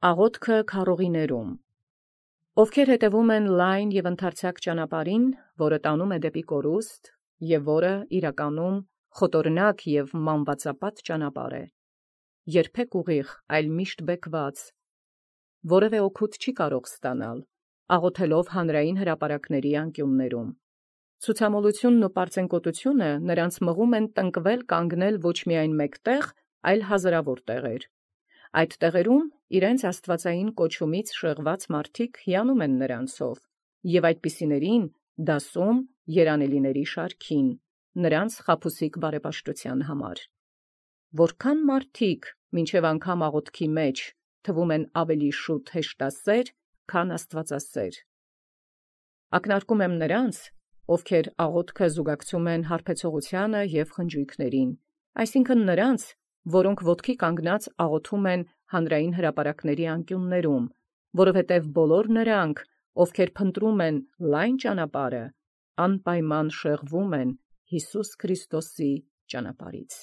Աղոթքը քառողիներում։ Ովքեր հետևում են լայն և ընդարձակ ճանապարհին, որը տանում է դեպի կորուստ, և որը իրականում խոտորնակ և մանվածապատ ճանապարհ է, երբեք ուղիղ, այլ միշտ բեկված, որևէ օգուտ չի կարող ստանալ, աղոթելով հանրային հրապարակների անկյուններում։ Ցուցամոլությունն ու պարծենկոտությունը նրանց մղում են տնկվել կանգնել ոչ միայն մեկ տեղ, այլ հազարավոր տեղեր։ Այդ տեղերում իրենց աստվածային կոչումից շեղված մարդիկ հիանում են նրանցով, և այդպիսիներին դասում երանելիների շարքին, նրանց խաբուսիկ բարեպաշտության համար։ Որքան մարդիկ մինչև անգամ աղոթքի մեջ թվում են ավելի շուտ հեշտասեր, քան աստվածասեր։ Ակնարկում եմ նրանց, ովքեր աղոթքը զուգակցում են հարբեցողությանը և խնջույքներին, այսինքն նրանց, որոնք ոտքի կանգնած աղոթում են հանրային հրապարակների անկյուններում, որովհետև բոլոր նրանք, ովքեր փնտրում են լայն ճանապարհը, անպայման շեղվում են Յիսուս Քրիստոսի ճանապարհից։